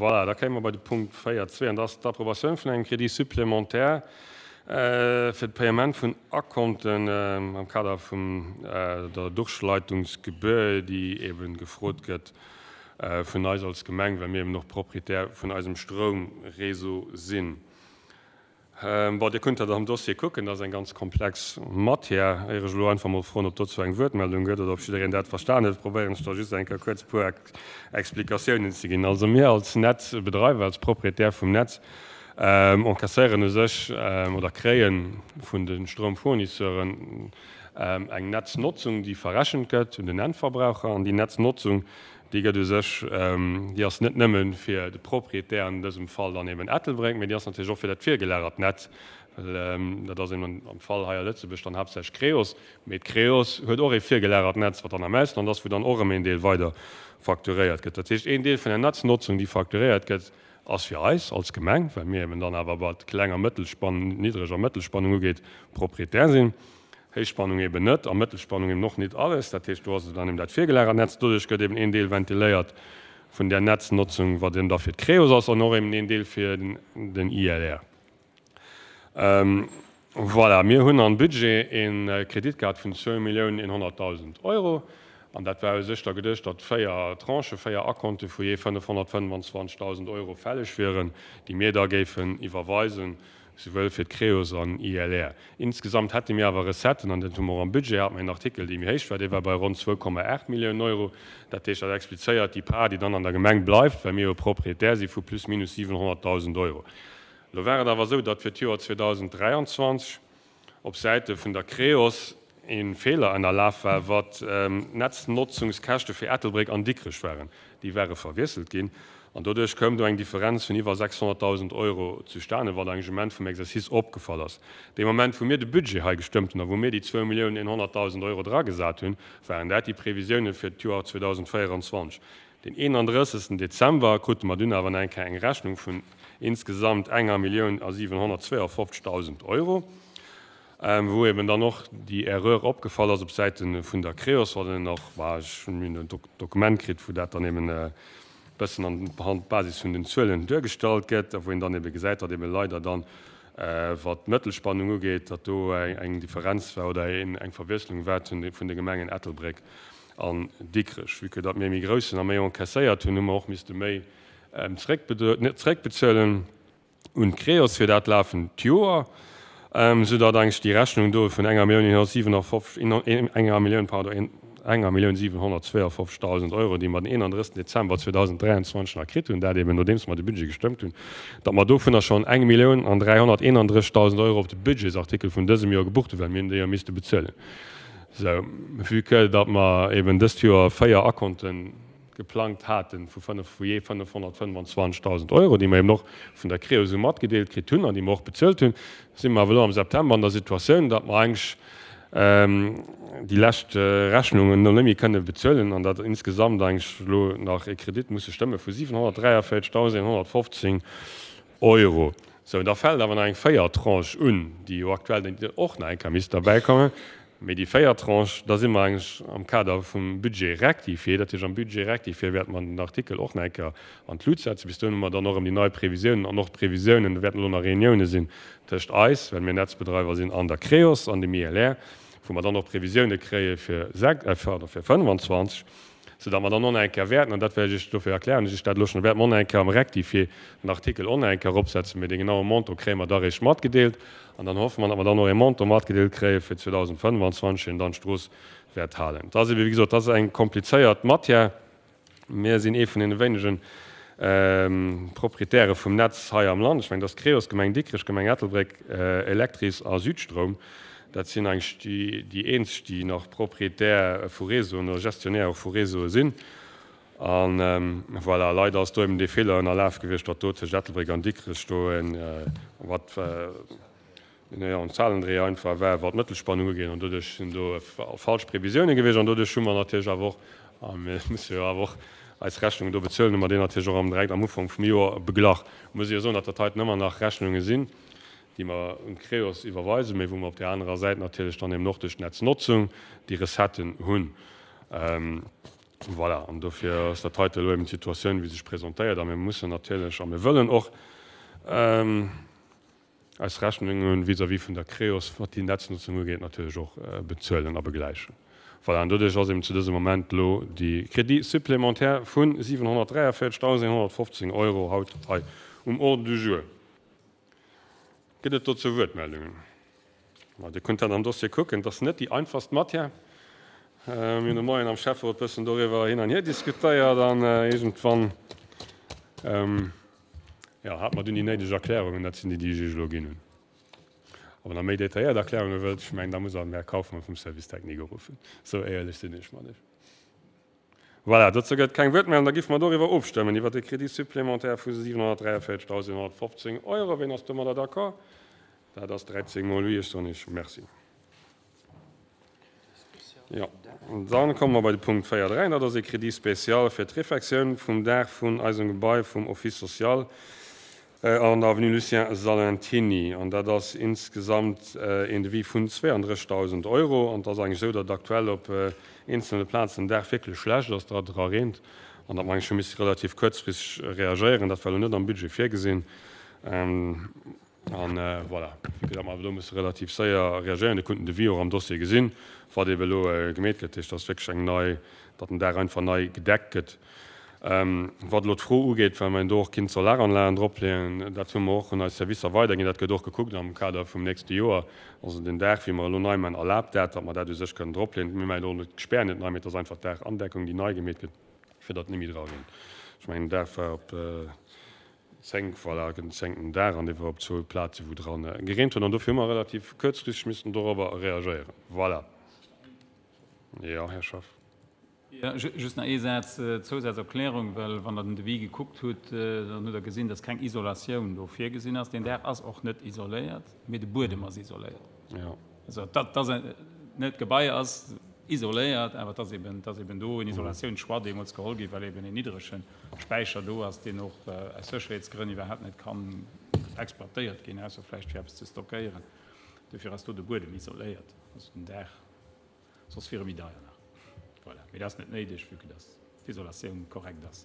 Voilà, da kéime mer bei de Punkt 4.2, an dat ass d'Approbatioun vun engem Crédit supplémentaire fir de Paiement vun Akonten am Kader vun der Durchleitungsgebühr, déi eebe gefrot gëtt vun eis als Gemeng, well mir eben och Proprietär vun eisem Stroumréseau sinn. Bon, Dir kënnt dat am Dossier kucken, dat ass eng ganz komplex Matière. Éier ech elo einfach mol froen, ob dozou eng Wuertmeldung gëtt oder ob jiddereen dat verstan huet, probéieren ech da just eng Kéier kuerz e puer Explikatiounen ze ginn. Also mir als Netzbedreiwer, als Proprietär vum Netz, encasséieren u sech oder kréie vun de Stroumfournisseuren eng Netznotzung, déi verrechent gëtt un den Endverbraucher. An déi Netznotzung, Déi gëtt u sech, déi ass net nëmme fir de Proprietär, an dësem Fall dann eben Ettelbréck, mee déi ass natierlech och fir dat virgelagert Netz, well dat ass eben am Fall hei a Lëtzebuerg dann haaptsächlech Creos, mee d'Creos huet och ee virgelagert Netz, wat dann am Ausland ass, wou dann och erëm een Deel weider facturéiert gëtt. Dat heescht, een Deel vun der Netznotzung, déi facturéiert gëtt, ass fir eis als Gemeng, well mir eben dann awer, wat Kleng a Mëttelspann, Niddreg a Mëttelspannung ugeet, Proprietär sinn. Héichspannung eben net a Mëttelspannung eben och nit alles. Dat heescht, do ass et dann eben dat virgelagert Netz. Doduerch gëtt eben een Deel ventiléiert vun där Netznotzung, wat eben da fir d'Creos ass, an och eben een Deel fir den ILR. Voilà, mir hunn am Budget ee Kredit gehat vun 2.100.000 Euro. An dat war u sech da geduecht, datt véier Tranchen, véier Akonte vu jee 525.000 Euro fälleg wieren, déi mir da géifen iwwerweisen souwuel fir d'Creos an ILR. Insgesamt hätte mir awer Recetten, an dat hu mer och am Budget, hate mer een Artikel, dee méi héich war, dee war bei ronn 2,8 Milliounen Euro. Dat heescht, dat explizéiert déi Part, déi dann an der Gemeng bleift, well mir jo Proprietär si vu plus minus 700.000 Euro. Elo war et awer esou, datt fir d'Joer 2023 op Säite vun der Creos ee Feeler ënnerlaf war, wat d'Netznotzungskäschte fir Ettelbréck an Dikrech waren. Déi ware verwiesselt ginn an doduerch koum do eng Differenz vun iwwer 600.000 Euro zustane, wat engem Moment vum Exercice opgefall ass. Dee Moment, wou mir de Budget hei gestëmmt hunn a wou mir déi 2.100.000 Euro dragesat hunn, waren dat déi Previsioune fir d'Joer 2024. Den 31. Dezember krute mer dunn awer nach eng Kéier eng Rechnung vun insgesamt enger Millioun a 752.000 Euro, wou eben dann och déi Erreur opgefall ass op Säite vun der Creos, wat een och, bah, ech hunn en Dokument kritt, wou dat dann eben e bëssen an Basis vun den Zuelen duergestallt gëtt a wou een dann ebe gesäit, datt ebe leider dann, wat d'Mëttelspannung ugeet, datt do eng Differenz war oder eng Verwiesslung war vun de Gemengen Ettelbréck an Dikrech. Vue que datt mir méi grouss sinn a méi encaisséiert hunn, hu mer och misste méi zréckbezuelen un d'Creos fir dat lafend Joer, sou datt eigentlech déi Rechnung do vun enger Millioun 157, enger Millioun, pardon, enger Millioun 752.000 Euro, déi mer den 31. Dezember 2023 nach kritt hunn, dat eben nodeems mer de Budget gestëmmt hunn, datt mer dovunner schonn eng Millioun an 331.000 Euro op de Budgetsartikel vun dësem Joer gebucht hunn, well mir hunn déi jo misste bezuelen. Sou, vue que datt mer eben dëst Joer 4 Akonte geplangt hate vu 5, vu jee 525.000 Euro, déi mer eben och vun der Creo esou matgedeelt kritt hunn an déi mer och bezuelt hunn, si mer awer elo am September an der Situatioun, datt mer eigentlech déi lescht Rechnungen elo net méi kënne bezuelen an datt insgesamt eigentlech elo nach e Kredit musse stëmme vu 743.115 Euro. Sou, da fält awer nach eng véiert Tranche un, déi jo aktuell och nach eng Kéier misst derbäikommen. Mee déi véiert Tranche, da si mer eigentlech am Kader vum Budget rectifié. Dat heescht, am Budget rectifié wäerte mer den Artikel och nach eng Kéier an d'Lut setzen. Bis dohin hu mer dann och erëm déi nei Previsiounen an och d'Previsiounen, do wäerten elo nach Reunioune sinn tëscht eis, well mir Netzbedreiwer sinn, an der Creos an dem ILR, wou mer dann och Previsioune kréie fir 25. Soudatt mer dann och nach eng Kéier wäerten, an dat wäert ech Iech, dofir erklären ech Iech dat elo schonn, wäerte mer och nach eng Kéier am Rectifié den Artikel och nach eng Kéier eropsetzen, mee dee genaue Montant kréie mer da eréischt matgedeelt. An dann hoffe mer, datt mer dann och ee Montant matgedeelt kréie fir 2025, deen dann d'Strooss wäert halen. Dat ass ebe wéi gesot, dat ass eng komplizéiert Matière. Mir sinn ee vun deene wéinege Proprietäre vum Netz hei am Land. Ech mengen, dat ass d'Creos, Gemeng Dikrech, Gemeng Ettelbréck, Electris a Südstroum. Dat sinn eigentlech déi eenzeg, déi nach Proprietär vu Réseauen oder Gestionnaire och vu Réseaue sinn. A voilà, leider ass do eben dee Feeler ënnerlaf gewiescht, datt do tëscht Ettelbréck an Dikrech do en, wat en Zahlendreher einfach war, wat d'Mëttelspannung ugeet. An doduerch sinn do falsch Previsioune gewiescht. An doduerch hu mer natierlech awer och, a mir musse jo awer och eis Rechnungen do bezuelen, hu mer déi natierlech och am direkt am Ufank vum Joer beglach. Muss ech jo soen, datt dat heiten ëmmer nach Rechnunge sinn, déi mer un d'Creos iwwerweisen, mee wou mer op där anerer Säit natierlech dann eben och duerch d'Netznotzung déi Recetten hunn. Voilà, an dofir ass dat heite elo eben d'Situatioun, wéi se sech presentéiert. A mir mussen natierlech a mir wëllen och eis Rechnunge vis-à-vis vun der Creos, wat déi Netznutzung ugeet, natierlech och bezuelen a begläichen. Voilà, an doduerch ass eben zu dësem Moment elo déi Crédit supplémentaire vu 743.115 Euro haut hei um Ordre du jour. Gëtt et dozou Wuertmeldungen? Ma Dir kënnt dat am Dossier kucken, et ass net déi einfachst Matière. Mir hunn de Moien am Schäfferot e bëssen doriwwer hin an hier diskutéiert an iergendwann, jo, hate mer dunn déi néideg Erklärungen. Dat sinn déi, déi ech Iech elo ginn hunn. A wann Der méi detailléiert Erklärunge wëllt, ech mengen, da musst Der den Här Kauffmann vum Service technique uruffen. Esou éierlech sinn ech mat Iech. Voilà, dozou gëtt et keng Wuertmeldung. Da géife mer doriwwer ofstëmmen, iwwert de Crédit supplémentaire vu 743.115 Euro. Ween ass domadder d'accord? Dat ass 13 mol oui. Ech soen Iech Merci. Jo, dann komme mer bei de Punkt 4.3. Dat ass e Crédit spécial fir d'Refectioun vum Daach vun eisem Gebai vum Office social an der Avenue Lucien Salentiny. An dat ass insgesamt een Devis vun 32.000 Euro. An et ass eigentlech esou, datt aktuell op eenzelne Plazen den Daach wierklech schlecht ass, datt et era reent an datt mer eigentlech hu misse relativ kuerzfristeg reagéieren. Dat war elo net am Budget virgesinn. An voilà, vue que datt mer awer do musse relativ séier reagéieren, Dir kunnt den Devis och am Dossier gesinn, wat eebe elo gemeet gëtt, dat heescht, dass wierklech eng nei, datt den Daach einfach nei gedeckt gëtt. Wat elo d'Fro ugeet, well mer do och kinnt Solaranlagen dropleeën, dat hu mer och un eis Servicer weiderginn, dat gëtt och gekuckt am Kader vum nächste Joer. Also den Daach, wéi mer elo nei maachen, erlaabt dat, datt mer dat u sech kënnen dropleeën. Mir maachen elo net d'Spär net nei, mee et ass einfach d'Daachandeckung, déi nei gemeet gëtt, fir datt net méi dra reent. Ech mengen, den Daach war op 10, voilà, den zéngten Dag an dee war op zwou Plaze wou dran gereent huet an dofir hu mer relativ kuerzfristeg missten dorobber reagéieren. Voilà. Jo, Här Schaff. Jo, just nach ee Saz, Zousazerklärung, well wann Der den Devis gekuckt hutt, dann hutt Der gesinn, dass keng Isolatioun do virgesinn ass. Deen Daach ass och net isoléiert, mee de Buedem ass isoléiert. Jo. Also dat ass net, d'Gebai ass isoléiert, awer et ass eben, et ass eben do en Isolatiounschoix deemools geholl ginn, well eben en niddrege Späicher do ass, deen och aus Sécherheetsgrënn iwwerhaapt net kann exploitéiert ginn, ausser vläicht fir eppes ze stockéieren. Dofir ass do de Buedem isoléiert, also den Daach, soss wier e méi deier nach. Voilà. Mee dat ass net néideg, vue que dass d'Isolatioun korrekt ass.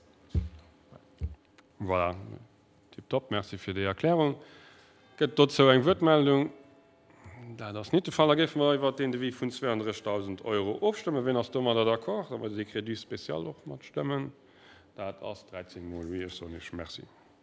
Voilà. Tiptop, merci fir déi Erklärung. Gëtt dozou eng Wuertmeldung? Dat ass nit de Fall. Da géife mer iwwert deen Devis vun 32.000 Euro ofstëmmen. Wien ass domadder d'accord, datt mer dee Crédit spécial och matstëmmen? Dat ass 13 mol oui. Ech soen Iech Merci.